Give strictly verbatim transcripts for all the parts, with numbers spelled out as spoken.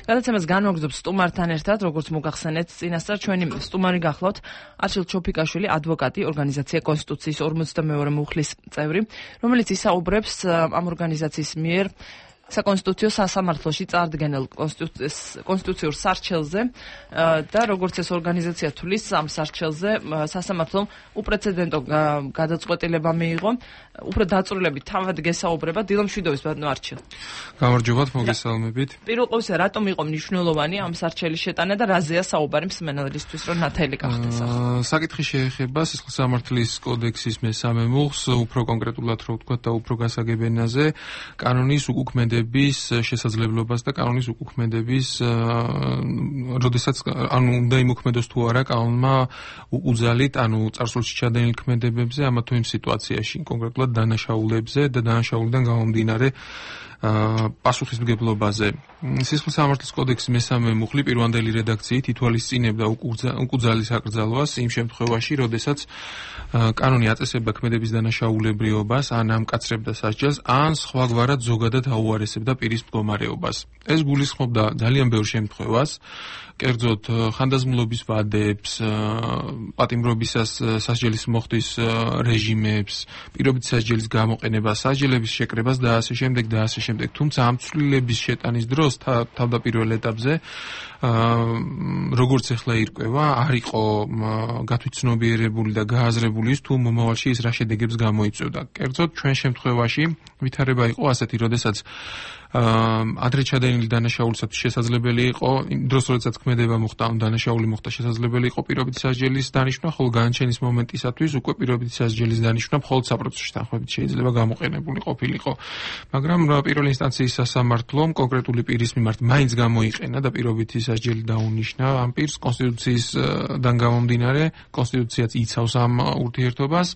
გადაცემას განმოგზობს სტუმართან ერთად, როგორც მოგახსენეთ, წინასწარ ჩვენი სტუმარი გახლავთ არჩილ ჩოფიკაშვილი, ადვოკატი, ორგანიზაცია კონსტიტუციის ორმოცდამეორე მუხლის წევრი, რომელიც ისაუბრებს ამ ორგანიზაციის მიერ საკონსტიტუციო სასამართლოში წარდგენილ კონსტიტუციურ სარჩელზე და როგორც ეს ორგანიზაცია თulis ამ სარჩელზე სასამართლომ უპრეცედენტო გადაწყვეტილება მიიღო, უფრო დაწვრილებით თავად გესაუბრება დილა მშვიდობის ბატონო არჩილ. გამარჯობათ, მოგესალმებით. პირველ ყოვლისა, რატომ იყო მნიშვნელოვანი ამ სარჩელის შეტანა და რაზეა საუბარი მსმენელისთვის, რომ ნათელი გახდეს ახლა? საკითხი შეეხება სისხლის სამართლის კოდექსის მესამე მუხლს, უფრო კონკრეტულად რო ვთქვათ და უფრო გასაგებენაზე, კანონის უკუქმედების შესაძლებლობას და კანონის უკუქმედების, როდესაც ანუ უნდა იმოქმედოს თუ არა კანონმა უძალით, ანუ წარსულში ჩადენილ ქმედებებზე, ამა თუ იმ სიტუაციაში, კონკრეტულად დანაშაულებზე და დანაშაულიდან გამომდინარე პასუხისმგებლობაზე. სისხლის სამართლის კოდექსის მესამე მუხლი პირვანდელი რედაქციით ითვალისწინებდა უკუძალის აკრძალვას იმ შემთხვევაში, როდესაც კანონი აწესებდა ქმედების დანაშაულებრიობას, ან ამკაცრებდა სასჯელს, ან სხვაგვარად ზოგადად აუარესებდა პირის მდგომარეობას. ეს გულისხმობდა ძალიან ბევრ შემთხვევას, კერძოდ ხანდაზმულობის ვადებს, პატიმრობისას სასჯელის მოხდის რეჟიმებს, პირობით სასჯელის გამოყენებას, სასჯელების შეკრებას და ასე შემდეგ და ასე შემდეგ. თუმცა ამ ცვლილების შეტანის დროს თავდაპირველ ეტაპზე, როგორც ახლა ირკვევა, არ იყო გათვითცნობიერებული და გააზრებული ის თუ მომავალში ის რა შედეგებს გამოიწვევდა. კერძოდ ჩვენ შემთხვევაში ვითარება იყო ასეთი, როდესაც ადრე ჩადენილი დანაშაულისათვის შესაძლებელი იყო, იმ დროს როდესაც ქმედება მოხდა, ან დანაშაული მოხდა, შესაძლებელი იყო პირობითი სასჯელის დანიშვნა, ხოლო განაჩენის მომენტისათვის უკვე პირობითი სასჯელის დანიშვნა მხოლოდ საპროცესო თანხმობით შეიძლება გამოყენებული ყოფილიყო. მაგრამ პირველი ინსტანციის სასამართლომ კონკრეტული პირის მიმართ მაინც გამოიყენა და პირობითი სასჯელი დაუნიშნა ამ პირს კონსტიტუციისგან გამომდინარე, კონსტიტუციაც იცავს ამ ურთიერთობას,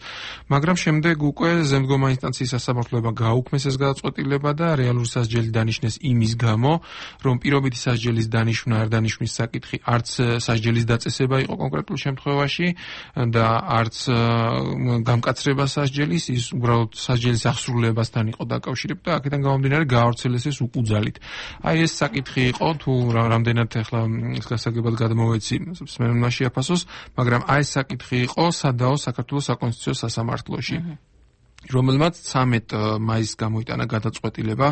მაგრამ შემდეგ უკვე ზემდგომა ინსტანციის სასამართლოებმა გააუქმეს ეს გადაწყვეტილება და რეალური სასჯელი დანიშნეს იმის გამო, რომ პირობითი სასჯელის დანიშვნა არ დანიშვნის საკითხი არც სასჯელის დაწესება იყო კონკრეტულ შემთხვევაში და არც გამკაცრება სასჯელის, ის უბრალოდ სასჯელის აღსრულებასთან იყო დაკავშირებული და აქედან გამომდინარე გაავრცელეს ეს უკუძალით. აი ეს საკითხი იყო, თუ რამდენად ახლა გასაგებად გადმოვეცი მსმენელმა შეაფასოს, მაგრამ აი ეს საკითხი იყო სადაო საქართველოს საკონსტიტუციო სასამართლოში. რომელმაც ცამეტ მაისს გამოიტანა გადაწყვეტილება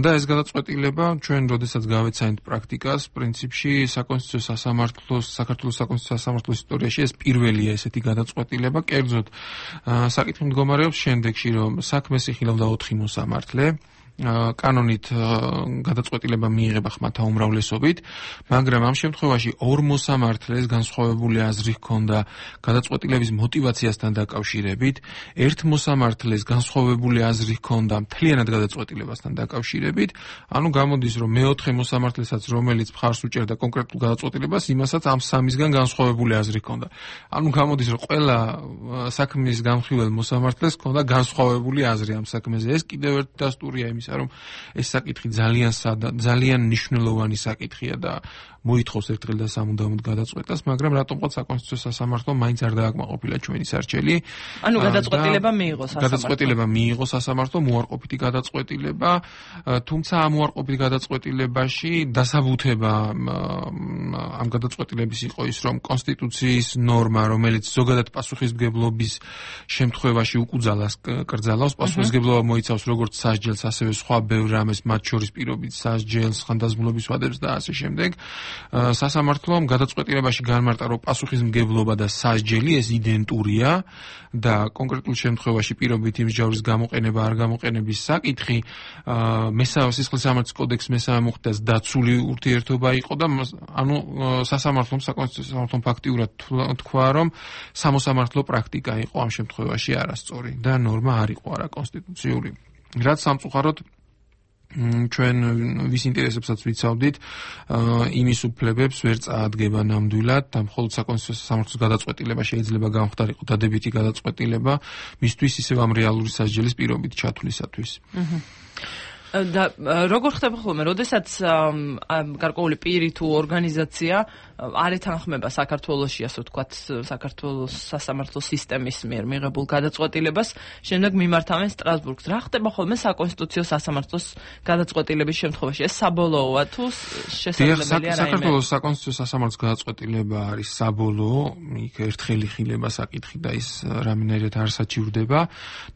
და ეს გადაწყვეტილება ჩვენ როდესაც გავეცანით პრაქტიკას, პრინციპში საკონსტიტუციო სასამართლოს, საქართველოს საკონსტიტუციო სასამართლოს ისტორიაში ეს პირველია ესეთი გადაწყვეტილება, კერძოდ საკითხი მდგომარეობს შემდეგში, რომ საქმეს იხილავდა ოთხი მოსამართლე, კანონით გადაწყვეტილება მიიღება ხმათა უმრავლესობით, მაგრამ ამ შემთხვევაში ორ მოსამართლეს განსხვავებული აზრი ჰქონდა გადაწყვეტილების მოტივაციასთან დაკავშირებით, ერთ მოსამართლეს განსხვავებული აზრი ჰქონდა მთლიანად გადაწყვეტილებასთან დაკავშირებით, ანუ გამოდის, რომ მეოთხე მოსამართლესაც, რომელიც მხარს უჭერდა კონკრეტულ გადაწყვეტილებას, იმასაც ამ სამისგან განსხვავებული აზრი ჰქონდა. ანუ გამოდის, რომ ყველა საქმის გამხილველ მოსამართლეს ჰქონდა განსხვავებული აზრი ამ საქმეზე. ეს კიდევ ერთი დასტურია იმისა, რომ ეს საკითხი ძალიან ძალიან მნიშვნელოვანი საკითხია და მოითხოვს ერთხელ და სამუდამოდ გადაწყვეტას, მაგრამ რატომღაც საკონსტიტუციო სასამართლომ მაინც არ დააკმაყოფილა ჩვენი სარჩელი. ანუ გადაწყვეტილება მიიღო სასამართლომ. გადაწყვეტილება მიიღო სასამართლომ, უარყოფითი გადაწყვეტილება, თუმცა ამ უარყოფით გადაწყვეტილებაში დასაბუთება ამ გადაწყვეტილების იყო ის, რომ კონსტიტუციის ნორმა, რომელიც ზოგადად პასუხისმგებლობის შემთხვევაში უკუძალას კრძალავს, პასუხისმგებლობა მოიცავს როგორც სასჯელს, ასევე სხვა ბევრ რამეს, მათ შორის პირობით სასჯელს, ხანდაზმულობის ვადებს და ასე შემდეგ. სასამართლომ გადაწყვეტილებაში განმარტა, რომ პასუხისმგებლობა და სასჯელი ეს იდენტურია და კონკრეტულ შემთხვევაში პირობითი მსჯავრების გამოყენება არ გამოყენების საკითხი მესამე სისხლის სამართლის კოდექსის მესამე მუხლით დაცული ურთიერთობა იყო და ანუ სასამართლომ საკონსტიტუციო სასამართლომ ფაქტიურად თქვა, რომ სამოსამართლო პრაქტიკა იყო ამ შემთხვევაში არასწორი და ნორმა არ იყო არაკონსტიტუციური. რაც სამწუხაროდ ჩვენ ვის ინტერესებსაც ვიცავდით, იმის უფლებებს ვერ წაადგება ნამდვილად და მხოლოდ საკონსტიტუციო სასამართლოს გადაწყვეტილება შეიძლება გამხდარიყო დადებითი გადაწყვეტილება მისთვის ისევ ამ რეალური სასჯელის პირობით ჩათვლისათვის. და როგორ ხდება ხოლმე, როდესაც გარკვეული პირი თუ ორგანიზაცია არ ეთანხმება საქართველოში, ასე ვთქვათ, საქართველოს სასამართლო სისტემის მიერ მიღებულ გადაწყვეტილებას, შემდეგ მიმართავენ სტრასბურგს. რა ხდება ხოლმე საკონსტიტუციო სასამართლოს გადაწყვეტილების შემთხვევაში? ეს საბოლოოა თუ შესაძლებელია რაიმე? საქართველოს საკონსტიტუციო სასამართლოს გადაწყვეტილება არის საბოლოო, იქ ერთხელი ხილება საკითხი და ის რამენერად არ საჩივრდება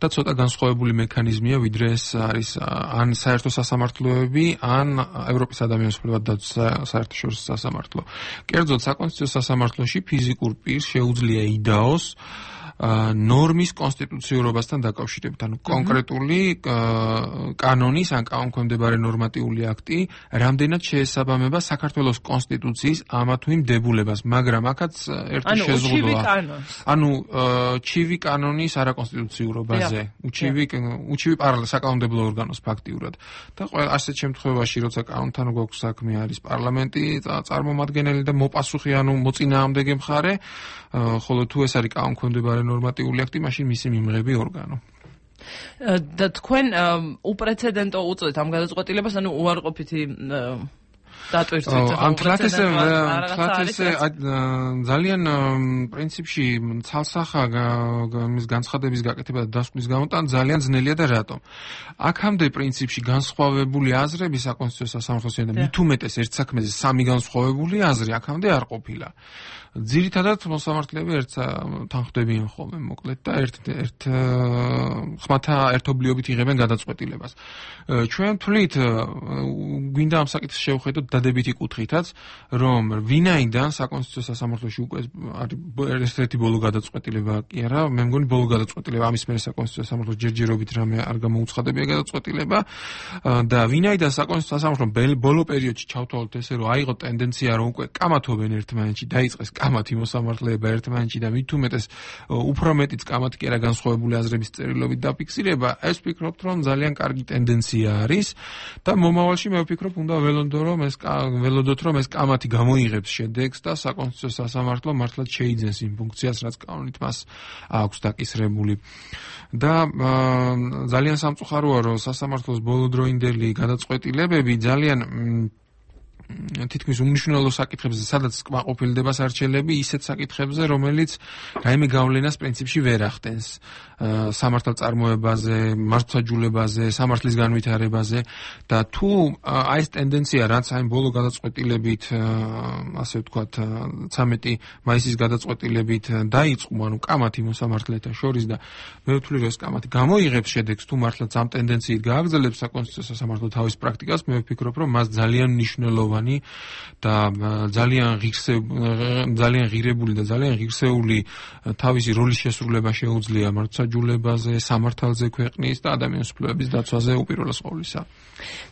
და ცოტა განსხვავებული მექანიზმია, ვიდრე ეს არის ან საერთო სასამართლოები, ან ევროპის ადამიანის უფლებათა საერთაშორისო სასამართლო. კერძოდ საკონსტიტუციო სასამართლოში ფიზიკურ პირს შეუძლია იდაოს ნორმის კონსტიტუციურობასთან დაკავშირებით, ანუ კონკრეტული კანონის ან კანონქვემდებარე ნორმატიული აქტი რამდენად შეესაბამება საქართველოს კონსტიტუციის ამა თუ იმ დებულებას, მაგრამ აქაც ერთი შეზღუდვა. ანუ ჩივი კანონის არაკონსტიტუციურობაზე, უჩივი უჩივი პარალელ საკანონმდებლო ორგანოს ფაქტიურად. და ასეთ შემთხვევაში, როცა კანონთან გვაქვს საქმე, არის პარლამენტი წარმომადგენელი და მოპასუხი, ანუ მოწინააღმდეგე მხარე, ხოლო თუ ეს არის კანონქვემდებარე ნორმატიული აქტი, მაშინ მისი მიმღები ორგანო. და თქვენ უპრეცედენტო უწოდეთ ამ გადაწყვეტილებას, ანუ უარყოფითი დატვირთვით. ამ თლათესე თლათესე ძალიან პრინციპში ცალსახა მის განცხადების გაკეთება და დასკვნის გამოტანა ძალიან ძნელია და რატომ? აქამდე პრინციპში განსხვავებული აზრები საკონსტიტუციო სასამართლოსთან და მით უმეტეს ერთ საქმეზე სამი განსხვავებული აზრი აქამდე არ ყოფილა. ძირითადად მოსამართლეები ერთ თანხმდებიან ხოლმე მოკლედ და ერთ ერთ ხმათა ერთობლიობით იღებენ გადაწყვეტილებას. ჩვენ თვლით გვინდა ამ საკითხს შევხედოთ დადებითი კუთხითაც, რომ ვინაიდან საკონსტიტუციო სასამართლოში უკვე არის ერთ-ერთი ბოლო გადაწყვეტილება კი არა, მე მგონი ბოლო გადაწყვეტილება, ამის მერე საკონსტიტუციო სასამართლოს ჯერჯერობით რამე არ გამოუცხადებია გადაწყვეტილება და ვინაიდან საკონსტიტუციო სასამართლომ ბოლო პერიოდში ჩავთვალოთ ესე, რომ აიღო ტენდენცია, რომ უკვე კამათობენ ერთმანეთში, დაიწყეს კამათი მოსამართლეება ერთმანეთში და მით უმეტეს უფრო მეტიც კამათი კი არა განსხვავებული აზრების წერილობით დაფიქსირება, ეს ვფიქრობთ, რომ ძალიან კარგი ტენდენცია არის და მომავალში მე ვფიქრობ, უნდა ველოდო რომ ეს ველოდოთ რომ ეს კამათი გამოიღებს შედეგს და საკონსტიტუციო სასამართლო მართლაც შეიძენს იმ ფუნქციას, რაც კანონით მას აქვს დაკისრებული. და ძალიან სამწუხაროა, რომ სასამართლოს ბოლოდროინდელი გადაწყვეტილებები ძალიან თითქმის უმნიშვნელო საკითხებზე, სადაც კმაყოფილდება სარჩელები, ისეთ საკითხებზე, რომელიც რაიმე გავლენას პრინციპში ვერ ახდენს სამართალწარმოებაზე, მართლმსაჯულებაზე, სამართლის განვითარებაზე და თუ აი ეს ტენდენცია, რაც აი ბოლო გადაწყვეტილებით, ასე ვთქვათ, ცამეტი მაისის გადაწყვეტილებით დაიწყო, ანუ კამათი მოსამართლეთა შორის და მე ვთვლი, რომ ეს კამათი გამოიღებს შედეგს, თუ მართლაც ამ ტენდენციით გააგრძელებს საკონსტიტუციო სასამართლო თავის პრაქტიკას, მე ვფიქრობ, რომ მას ძალიან მნიშვნელოვანი და ძალიან ღირსეული ძალიან ღირებული და ძალიან ღირსეული თავისი როლის შესრულება შეუძლია მართლმსაჯულებაზე, სამართალზე ქვეყნის და ადამიანის უფლებების დაცვაზე უპირველეს ყოვლისა.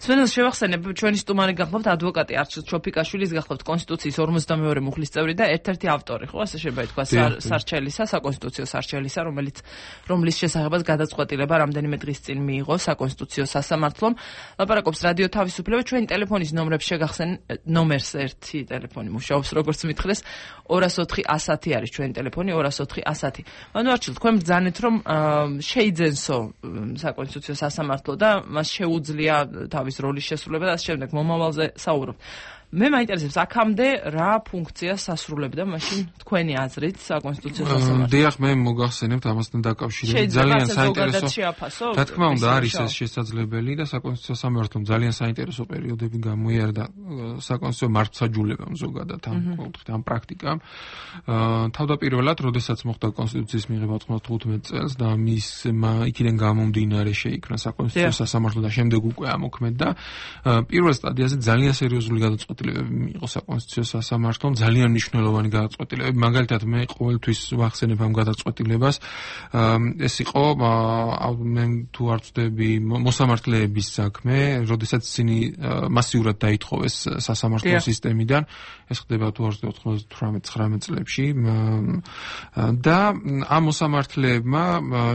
სვენელს შევახსენებ, ჩვენი სტუმარი გახლავთ ადვოკატი არჩილ ჩოფიკაშვილის, გახლავთ კონსტიტუციის ორმოცდამეორე მუხლის წევრი და ერთ-ერთი ავტორი, ხო, ასე შეიძლება ითქვა, სარჩელისა, საკონსტიტუციო სარჩელისა, რომელიც რომლის შესახებაც გადაწყვეტილება რამდენიმე დღის წინ მიიღო საკონსტიტუციო სასამართლომ. ლაპარაკობს რადიო თავისუფლება, ჩვენი ტელეფონის ნომრებს შეგახსენეთ, ნომერს ერთი ტელეფონი მუშაობს, როგორც მითხრეს, ორას ოთხი ასათი არის ჩვენი ტელეფონი, ორას ოთხი ასათი. ანუ არჩილ, თქვენ ბრძანეთ, რომ შეიძენსო საკონსტიტუციო სასამართლო და მას შეუძლია თავის როლის შესრულება და ამ შემდეგ მომავალზე საუბრობთ. მე მაინტერესებს, აქამდე რა ფუნქციას ასრულებდა მაშინ თქვენი აზრით საკონსტიტუციო სასამართლო? დიახ, მე მოგახსენებთ ამასთან დაკავშირებით. ძალიან საინტერესო. რა თქმა უნდა, არის ეს შესაძლებელი და საკონსტიტუციო სასამართლომ ძალიან საინტერესო პერიოდები გამოიარა საკონსტიტუციო მართლმსაჯულებამ ზოგადად ამ კუთხით, ამ პრაქტიკამ. თავდაპირველად, როდესაც მოხდა კონსტიტუციის მიღება ოთხმოცდათხუთმეტ წელს და მის იქიდან გამომდინარე შეიქმნა საკონსტიტუციო სასამართლო და შემდეგ უკვე ამოქმედდა, პირველ სტადიაზე ძალიან სერიოზული გადაწყვეტილება მიიღო საკონსტიტუციო სასამართლომ, ძალიან მნიშვნელოვანი გადაწყვეტილებები. მაგალითად, მე ყოველთვის ვახსენებ ამ გადაწყვეტილებას. ეს იყო, მე თუ არ ვწდები, მოსამართლეების საქმე, როდესაც ისინი მასიურად დაითხოვეს სასამართლო სისტემიდან. ეს ხდება თუ არ ვწდები ოთხმოცდათვრამეტ ცხრამეტ წლებში. და ამ მოსამართლეებმა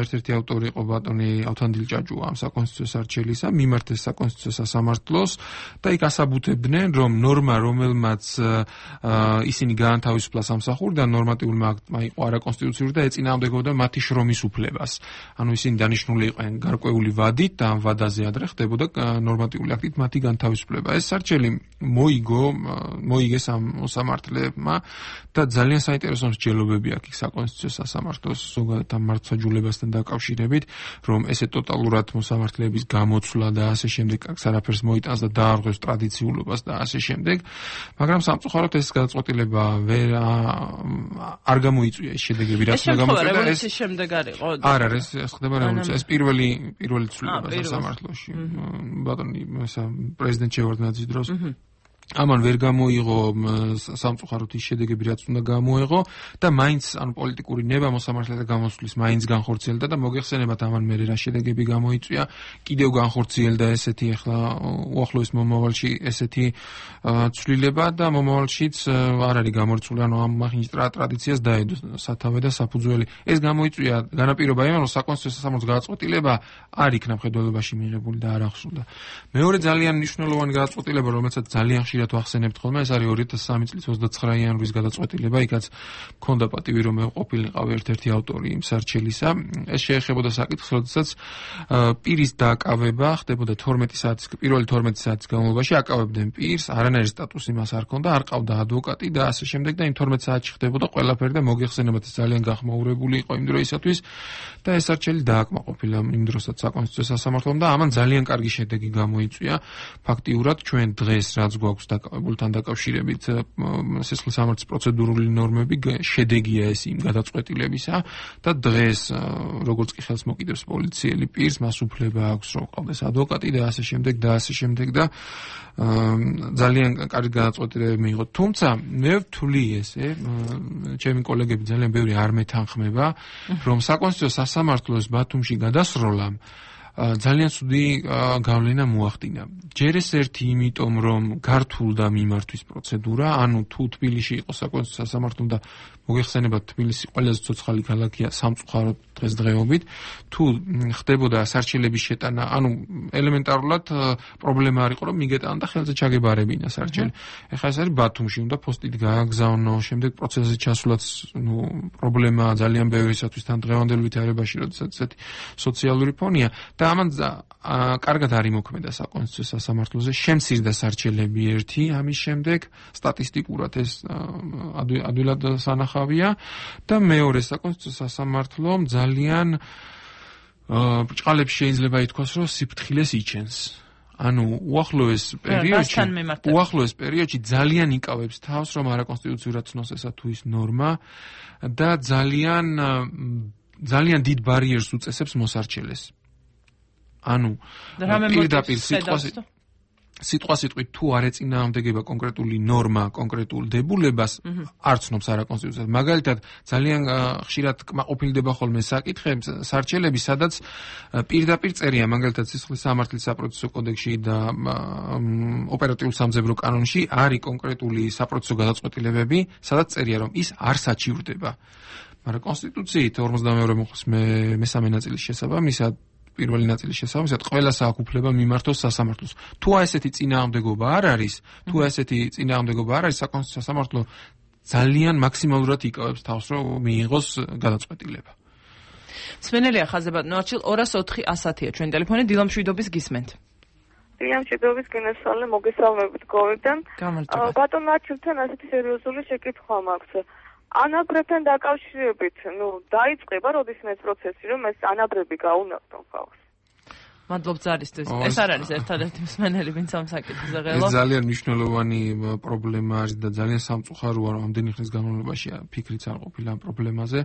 ერთ-ერთი ავტორი იყო ბატონი ავთანდილ ჭაჭუა ამ საკონსტიტუციო სარჩელისა, მიმართეს საკონსტიტუციო სასამართლოს და იქ ასაბუთებდნენ, რომ ნორმა, რომელმაც ისინი გაანთავისუფლა სამსახურიდან, ნორმატიულმა აქტმა იყო არაკონსტიტუციური და ეწინააღმდეგებოდა მათი შრომის უფლებას. ანუ ისინი დანიშნული იყვნენ გარკვეული ვადით და ამ ვადაზე ადრე ხდებოდა ნორმატიული აქტით მათი განთავისუფლება. ეს სარჩელი მოიგო, მოიგეს ამ მოსამართლებმა და ძალიან საინტერესო მსჯელობები აქვს საკონსტიტუციო სასამართლოს ზოგადად ამ მართლმსაჯულებასთან დაკავშირებით, რომ ესე ტოტალურად მოსამართლეების გამოცვლა და ასე შემდეგ აქ არაფერს მოიტანს და დაარღვევს ტრადიციულობას და ასე შემდეგ, მაგრამ სამწუხაროდ ეს გადაწყვეტილება ვერ არ გამოიწვია ეს შედეგები, რაც უნდა გამოიწვია და ეს შემდეგ არისო. არ არის, ეს ხდება რევოლუცია. ეს პირველი პირველი ცვლილება სასამართლოში. ბატონი ესა პრეზიდენტ შევარდნაძის დროს ამან ვერ გამოიღო სამწუხაროდ ის შედეგები, რაც უნდა გამოეღო და მაინც ანუ პოლიტიკური ნება მოსამართლეთა გამოსვლის მაინც განხორციელდა და მოგეხსენებათ ამან მერე რა შედეგები გამოიწვია, კიდევ განხორციელდა ესეთი ახლა უახლოეს მომავალში ესეთი ცვლილება და მომავალშიც არ არის გამორჩეული, ანუ ამ მახინჯ ტრადიციას დაედო სათავე და საფუძველი. ეს გამოიწვია განაპირობა იმან, რომ საკონსტიტუციო სასამართლოს გადაწყვეტილება არ იქნა მხედველობაში მიღებული და არ ახსოვდა. მეორე ძალიან მნიშვნელოვანი გადაწყვეტილება, რომელსაც ძალიან ხშირად ვახსენებთ ხოლმე, ეს არის ორი ათას სამი წლის ოცდაცხრა იანვრის გადაწყვეტილება, იქაც მქონდა პატივი, რომ მე ყოფილიყავი ერთ-ერთი ავტორი იმ სარჩელისა. ეს შეეხებოდა საკითხს, როდესაც პირის დააკავება ხდებოდა თორმეტი საათის, პირველი თორმეტი საათის განმავლობაში აკავებდნენ პირს, არანაირი სტატუსი მას არ ჰქონდა, არ ყავდა ადვოკატი და ასე შემდეგ და იმ თორმეტ საათში ხდებოდა ყველაფერი და მოგეხსენებათ ეს ძალიან გახმაურებული იყო იმ დროისათვის და ეს სარჩელი დააკმაყოფილა იმ დროსაც საკონსტიტუციო სასამართლომ და ამან ძალიან კარგი შედეგი გამოიწვია. ფაქტიურად ჩვენ დღეს რაც გვაქვს დაკავებულთან დაკავშირებით სისხლის სამართლის პროცედურული ნორმები შედეგია ეს იმ გადაწყვეტილებისა და დღეს როგორც კი ხელს მოკიდებს პოლიციელი პირს, მას უფლება აქვს რომ ყავდეს ადვოკატი და ასე შემდეგ და ასე შემდეგ და ძალიან კარგი გადაწყვეტილებები მიიღო. თუმცა მე ვთვლი ესე, ჩემი კოლეგები ძალიან ბევრი არ მეთანხმება, რომ საკონსტიტუციო სასამართლოს ბათუმში გადასროლამ ძალიან ცუდი გავლენა მოახდინა. ჯერ ეს ერთი იმიტომ, რომ გართულდა მიმართვის პროცედურა, ანუ თუ თბილისში იყო საკონსტიტუციო სასამართლო და მოგეხსენებათ თბილისი ყველაზე ცოცხალი ქალაქია სამწუხაროდ დღესდღეობით, თუ ხდებოდა სარჩელების შეტანა, ანუ ელემენტარულად პრობლემა არ იყო, რომ მიგეტანა და ხელზე ჩაგებარებინა სარჩელი. ეხლა ეს არის ბათუმში, უნდა პოსტით გააგზავნო, შემდეგ პროცესზე ჩასვლაც, ნუ პრობლემაა ძალიან ბევრისათვის თან დღევანდელ ვითარებაში, როდესაც ესეთი სოციალური ფონია და ამან კარგად არ იმოქმედა საკონსტიტუციო სასამართლოზე, შემცირდა სარჩელები ერთი, ამის შემდეგ სტატისტიკურად ეს ადვილად სანახავია და მეორე საკონსტიტუციო სასამართლომ ძალიან ბრჭყალებს შეიძლება ითქვას, რომ სიფრთხილეს იჩენს. ანუ უახლოეს პერიოდში უახლოეს პერიოდში ძალიან იკავებს თავს, რომ არაკონსტიტუციურად ცნოს ესა თუ ის ნორმა და ძალიან ძალიან დიდ ბარიერს უწესებს მოსარჩელეს. ანუ პირდაპირ სიტყვას სიტყვა სიტყვით თუ არ ეწინააღმდეგება კონკრეტული ნორმა კონკრეტულ დებულებას არ ცნობს არაკონსტიტუციას. მაგალითად ძალიან ხშირად კმაყოფილდება ხოლმე საკითხი სარჩელები, სადაც პირდაპირ წერია მაგალითად სისხლის სამართლის საპროცესო კოდექსში და ოპერატიულ სამძებრო კანონში არის კონკრეტული საპროცესო გადაწყვეტილებები, სადაც წერია რომ ის არ საჩივრდება. მაგრამ კონსტიტუციით ორმოცდამეორე მოხს მესამე ნაწილის შესაბამისად პირველი ნაწილის შესაბამისად ყველას აქვს უფლება მიმართოს სასამართლოს. თუ ესეთი წინააღმდეგობა არ არის, თუ ესეთი წინააღმდეგობა არ არის, საკონსტიტუციო სასამართლო ძალიან მაქსიმალურად იკავებს თავს, რომ მიიღოს გადაწყვეტილება. სვენელია ხაზებად ნოჩილ ორას ოთხი ასათია ჩვენ ტელეფონი დილამშვიდობის გისმენთ. დილამშვიდობის გენესალე მოგესალმებით გოვიდან. ბატონ ნაჩილთან ასეთი სერიოზული შეკითხვა მაქვს. ანაბრებთან დაკავშირებით, ნუ დაიწყება როდისმე ეს პროცესი, რომ ეს ანაბრები გაუნახტონ ხალხს. მადლობთ ზარისთვის. ეს არ არის ერთადერთი მსმენელი, ვინც ამ საკითხზე ღელო. ეს ძალიან მნიშვნელოვანი პრობლემა არის და ძალიან სამწუხაროა, რომ ამდენი ხნის განმავლობაში ფიქრიც არ ყოფილა ამ პრობლემაზე.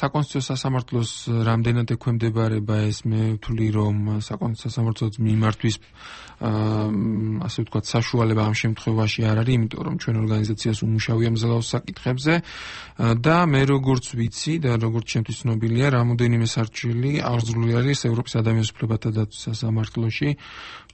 საკონსტიტუციო სასამართლოს რამდენად ექვემდებარება ეს, მე ვთვლი, რომ საკონსტიტუციო სასამართლოს მიმართვის ასე ვთქვათ, საშუალება ამ შემთხვევაში არ არის, იმიტომ რომ ჩვენ ორგანიზაციას უმუშავია მძლავრ საკითხებზე და მე როგორც ვიცი და როგორც ჩემთვის ცნობილია, რამოდენიმე სარჩელი აღძრული არის ევროპის ადამიანის უფლებათა დაცვის სასამართლოში.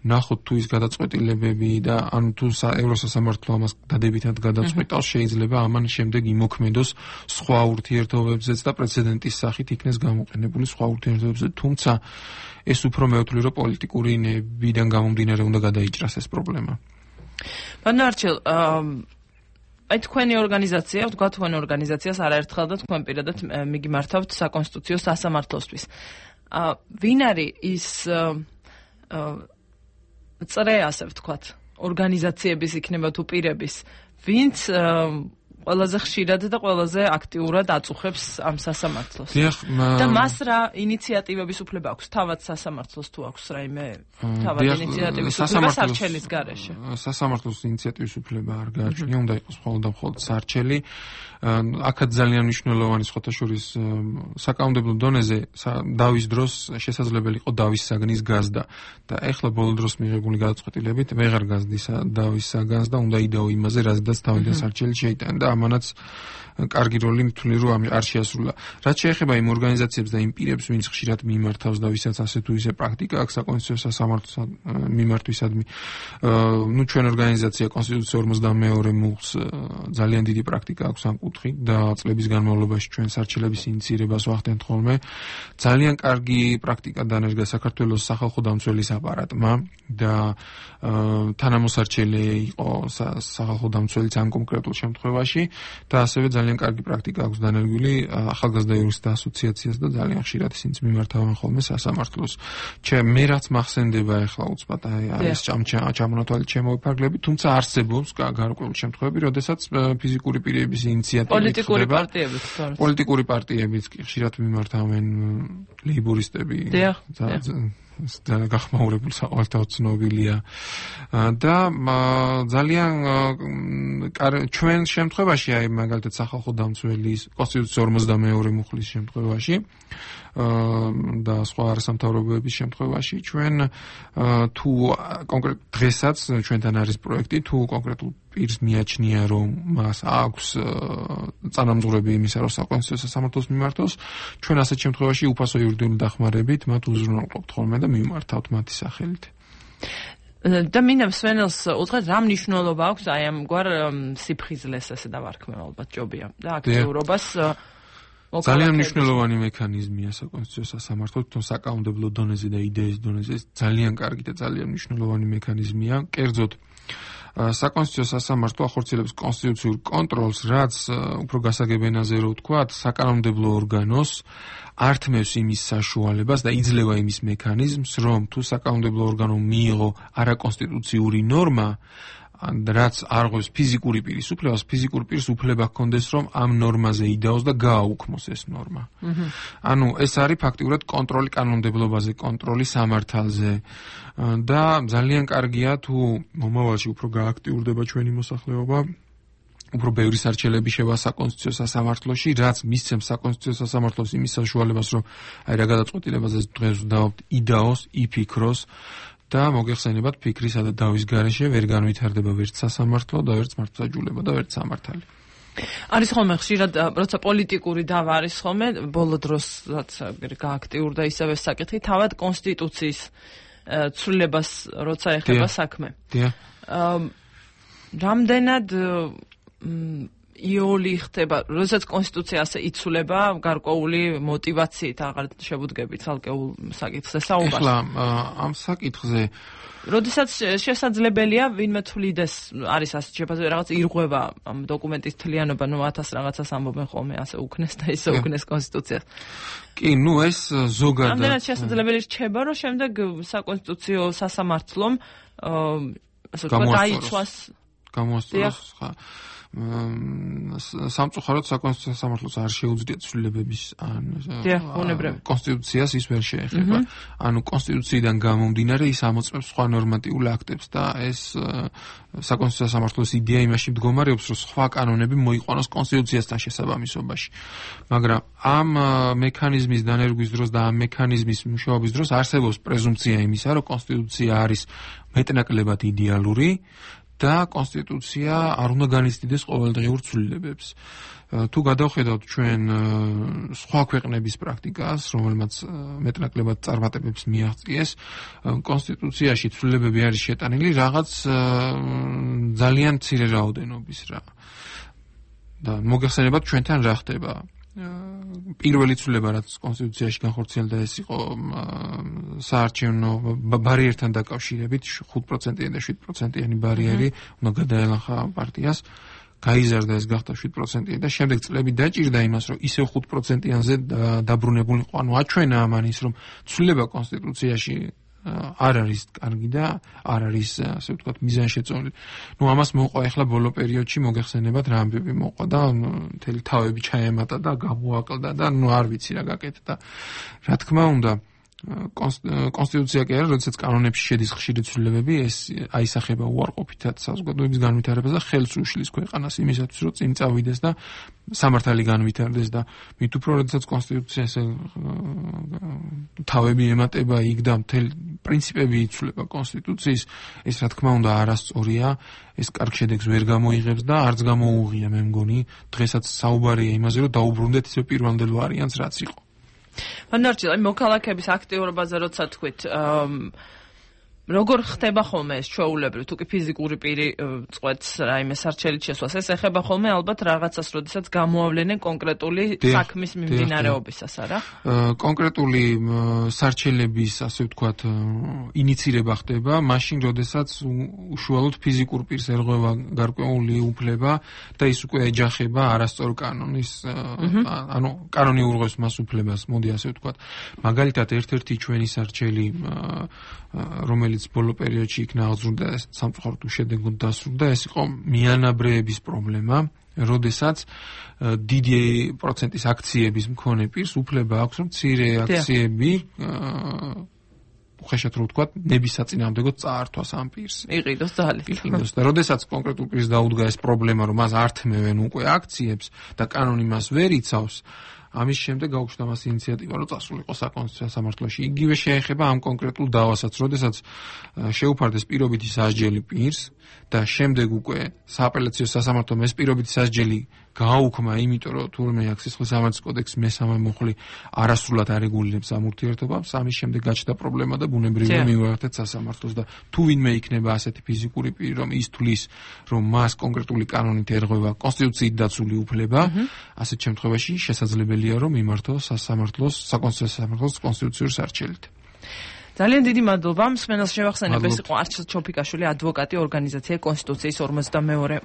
ნახოთ თუ ის გადაწყვეტილებები და ანუ თუ ევროსასამართლო ამას დადებითად გადაწყვეტავს, შეიძლება ამან შემდეგ იმოქმედოს სხვა ურთიერთობებზეც და პრეცედენტის სახით იქნეს გამოყენებული სხვა ურთიერთობებზე, თუმცა ეს უფრო მე ვთვლი, რომ პოლიტიკური ნებიდან გამომდინარე უნდა გადაიჭრას ეს პრობლემა. ბატონო არჩილ, აი თქვენი ორგანიზაცია, ვთქვა თქვენ ორგანიზაციას არაერთხელ და თქვენ პირადად მიგიმართავთ საკონსტიტუციო სასამართლოსთვის. ვინ არის ის წრე, ასე ვთქვათ, ორგანიზაციების იქნება თუ პირების, ვინც ყველაზე ხშირად და ყველაზე აქტიურად აწუხებს ამ სასამართლოს. და მას რა ინიციატივების უფლება აქვს? თავად სასამართლოს თუ აქვს რაიმე თავად ინიციატივის უფლება სარჩელის გარეშე? სასამართლოს ინიციატივის უფლება არ გააჩნია, უნდა იყოს მხოლოდ და მხოლოდ სარჩელი. აქაც ძალიან მნიშვნელოვანი სხვათა შორის საკანონმდებლო დონეზე დავის დროს შესაძლებელი იყო დავის საგნის გაზდა და ეხლა ბოლო დროს მიღებული გადაწყვეტილებით ვეღარ გაზდის დავის საგანს და უნდა იდეო იმაზე, რაზედაც თავიდან სარჩელი შეიტანა და ამანაც კარგი როლი მithuli რომ არ შეასრულა. რაც შეეხება იმ ორგანიზაციებს და იმ პირებს, ვინც ხშირად მიმართავს და ვისაც ასე თუ ისე პრაქტიკა აქვს საკონსტიტუციო სასამართლოს მიმართვისადმი, ნუ ჩვენ ორგანიზაცია კონსტიტუციის ორმოცდამეორე მუხლს ძალიან დიდი პრაქტიკა აქვს ამ კუთხით და წლების განმავლობაში ჩვენ სარჩელების ინიციირებას ვახდენთ ხოლმე. ძალიან კარგი პრაქტიკა დანერგა საქართველოს სახალხო დამცველის აპარატმა და თანამოსარჩელი იყო სახალხო დამცველიც ამ კონკრეტულ შემთხვევაში და ასევე ძალიან კარგი პრაქტიკა აქვს დანერგვილი ახალგაზრდა იურისტთა ასოციაციას და ძალიან ხშირად ისინიც მიმართავენ ხოლმე სასამართლოს. ჩემ მე რაც მახსენდება ახლა უცბად აი არის ჩამონათვალე ჩემოვიფარგლები, თუმცა არსებობს გარკვეული შემთხვევები, როდესაც ფიზიკური პირების ინიციატივით პოლიტიკური პარტიები პოლიტიკური პარტიებიც კი ხშირად მიმართავენ ლეიბორისტები ძალიან გახმაურებული საყოველთაოდ ცნობილია და ძალიან ჩვენ შემთხვევაში აი მაგალითად სახალხო დამცველის კონსტიტუციის ორმოცდამეორე მუხლის შემთხვევაში და სხვა არასამთავრობოების შემთხვევაში ჩვენ თუ კონკრეტ დღესაც ჩვენთან არის პროექტი თუ კონკრეტულ პირს მიაჩნია რომ მას აქვს წანამძღვრები იმისა რომ საკონსტიტუციო სასამართლოს მიმართოს ჩვენ ასეთ შემთხვევაში უფასო იურიდიული დახმარებით მათ უზრუნველყოფთ ხოლმე და მიმართავთ მათი სახელით. და მინდა სვენელს უთხრათ რა მნიშვნელობა აქვს აი ამგვარ სიფხიზლეს ესე დავარქმევ ალბათ ჯობია და აქტიურობას ძალიან მნიშვნელოვანი მექანიზმია საკონსტიტუციო სასამართლოს თუ საკანონმდებლო დონეზე და იდეის დონეზე ძალიან კარგი და ძალიან მნიშვნელოვანი მექანიზმია. კერძოდ საკონსტიტუციო სასამართლო ახორციელებს კონსტიტუციურ კონტროლს, რაც უფრო გასაგებენაზე რო ვთქვათ, საკანონმდებლო ორგანოს ართმევს იმის საშუალებას და იძლევა იმის მექანიზმს, რომ თუ საკანონმდებლო ორგანომ მიიღო არაკონსტიტუციური ნორმა, რაც არღვევს ფიზიკური პირის უფლებას, ფიზიკურ პირს უფლება ჰქონდეს, რომ ამ ნორმაზე იდაოს და გააუქმოს ეს ნორმა. ანუ ეს არის ფაქტიურად კონტროლი კანონმდებლობაზე, კონტროლი სამართალზე და ძალიან კარგია თუ მომავალში უფრო გააქტიურდება ჩვენი მოსახლეობა, უფრო ბევრი სარჩელები შევა საკონსტიტუციო სასამართლოში, რაც მისცემს საკონსტიტუციო სასამართლოს იმის საშუალებას, რომ აი რა გადაწყვეტილებაზე დღეს ვდაობთ, იდაოს, იფიქროს და მოგეხსენებათ ფიქრისა და დავის გარეშე ვერ განვითარდება ვერც სასამართლო და ვერც მართლმსაჯულება და ვერც სამართალი. არის ხოლმე ხშირად როცა პოლიტიკური დავა არის ხოლმე ბოლო დროსაც გააქტიურდა ისევე საკითხი თავად კონსტიტუციის ცვლილებას როცა ეხება საქმე. რამდენად იოლი ხდება, როდესაც კონსტიტუცია ასე იცვლება გარკვეული მოტივაციით, აღარ შევუდგებით ცალკეულ საკითხზე საუბარს. ახლა ამ საკითხზე როდესაც შესაძლებელია ვინმე თვლიდეს, არის ასე შეფასება, რაღაც ირღვევა ამ დოკუმენტის თლიანობა, ნუ ათას რაღაცას ამბობენ ხოლმე, ასე უკნეს და ისე უკნეს კონსტიტუციას. კი, ნუ ეს ზოგადად. რამდენად შესაძლებელი რჩება, რომ შემდეგ საკონსტიტუციო სასამართლომ ასე ვთქვათ, დაიცვას გამოასწოროს ხა სამწუხაროდ საკონსტიტუციო სასამართლოს არ შეუძლიათ ცვლილებების ან კონსტიტუციას ის ვერ შეეხება. ანუ კონსტიტუციიდან გამომდინარე ის ამოწმებს სხვა ნორმატიულ აქტებს და ეს საკონსტიტუციო სასამართლოს იდეა იმაში მდგომარეობს, რომ სხვა კანონები მოიყვანოს კონსტიტუციასთან შესაბამისობაში. მაგრამ ამ მექანიზმის დანერგვის დროს და ამ მექანიზმის მუშაობის დროს არსებობს პრეზუმპცია იმისა, რომ კონსტიტუცია არის მეტნაკლებად იდეალური და კონსტიტუცია არ უნდა განიცდიდეს ყოველდღიურ ცვლილებებს. თუ გადავხედავთ ჩვენ სხვა ქვეყნების პრაქტიკას, რომელმაც მეტნაკლებად წარმატებებს მიაღწიეს, კონსტიტუციაში ცვლილებები არის შეტანილი რაღაც ძალიან მცირე რაოდენობის რა. და მოგეხსენებათ ჩვენთან რა ხდება. პირველი ცვლილება რაც კონსტიტუციაში განხორციელდა ეს იყო საარჩევნო ბარიერთან დაკავშირებით ხუთ პროცენტიანი და შვიდ პროცენტიანი ბარიერი უნდა გადაელახა პარტიას გაიზარდა ეს გახდა შვიდ პროცენტიანი და შემდეგ წლები დაჭირდა იმას რომ ისევ ხუთ პროცენტიანზე დაბრუნებულიყო ანუ აჩვენა ამან ის რომ ცვლილება კონსტიტუციაში არ არის კარგი და არ არის ასე ვთქვათ მიზანშეწონილი. ნუ ამას მოყვა ახლა ბოლო პერიოდში მოგეხსენებათ რა ამბები მოყვა და მთელი თავები ჩაემატა და გამოაკლდა და ნუ არ ვიცი რა გაკეთდა. რა თქმა უნდა კონსტიტუცია კი არის, როდესაც კანონებში შედის ხშირი ცვლილებები, ეს აისახება უარყოფითად საზოგადოების განვითარებას და ხელს უშლის ქვეყანას იმისათვის, რომ წინ წავიდეს და სამართალი განვითარდეს და მით უფრო როდესაც კონსტიტუცია ესე თავები ემატება იქ და მთელი პრინციპები იცვლება კონსტიტუციის, ეს რა თქმა უნდა არასწორია, ეს კარგ შედეგს ვერ გამოიღებს და არც გამოუღია მე მგონი, დღესაც საუბარია იმაზე, რომ დაუბრუნდეთ ისე პირვანდელ ვარიანტს რაც იყო. მანარჩილ, მოქალაქეების აქტიურობაზე როცა თქვით, როგორ ხდება ხოლმე ეს ჩვეულებრივ, თუ კი ფიზიკური პირი წყვეტს რაიმე სარჩელით შესვლას, ეს ეხება ხოლმე ალბათ რაღაცას, როდესაც გამოავლენენ კონკრეტული საქმის მიმდინარეობისას, არა? კონკრეტული სარჩელების, ასე ვთქვათ, ინიცირება ხდება, მაშინ, როდესაც უშუალოდ ფიზიკურ პირს ერღვევა გარკვეული უფლება და ის უკვე ეჯახება არასწორ კანონის, ანუ კანონი ურღვევს მას უფლებას, მოდი ასე ვთქვათ. მაგალითად, ერთ-ერთი ჩვენი სარჩელი რომელიც ბოლო პერიოდში იქნა აღზრდა სამწუხაროდ უშედეგოდ დასრულდა, ეს იყო მიანაბრეების პრობლემა, როდესაც დიდი პროცენტის აქციების მქონე პირს უფლება აქვს, რომ მცირე აქციები უხეშად რო ვთქვათ, ნების საწინააღმდეგოდ წაართვას ამ პირს. იყიდოს ძალით. იყიდოს და როდესაც კონკრეტულ პირს დაუდგა ეს პრობლემა, რომ მას ართმევენ უკვე აქციებს და კანონი მას ვერ იცავს, ამის შემდეგ გაუჩნდა მას ინიციატივა, რომ წასულიყო საკონსტიტუციო სამართლოში. იგივე შეეხება ამ კონკრეტულ დავასაც, როდესაც შეუფარდეს პირობითი სასჯელი პირს და შემდეგ უკვე სააპელაციო სასამართლომ ეს პირობითი სასჯელი გააუქმა, იმიტომ რომ თურმე აქ სისხლის სამართლის კოდექსის მესამე მუხლი არასრულად არეგულირებს ამ ურთიერთობებს, ამის შემდეგ გაჩნდა პრობლემა და ბუნებრივია მივაერთეთ სასამართლოს და თუ ვინმე იქნება ასეთი ფიზიკური პირი, რომ ის თulis, რომ მას კონკრეტული კანონით ერღვევა კონსტიტუციით დაცული უფლება, ასეთ შემთხვევაში შესაძლებელია რომ მიმართოს სასამართლოს, საკონსტიტუციო სასამართლოს კონსტიტუციურ სარჩელით. ძალიან დიდი მადლობა. მსმენელს შევახსენებ, ეს იყო არჩილ ჩოფიკაშვილი, ადვოკატი, ორგანიზაცია კონსტიტუციის ორმოცდამეორე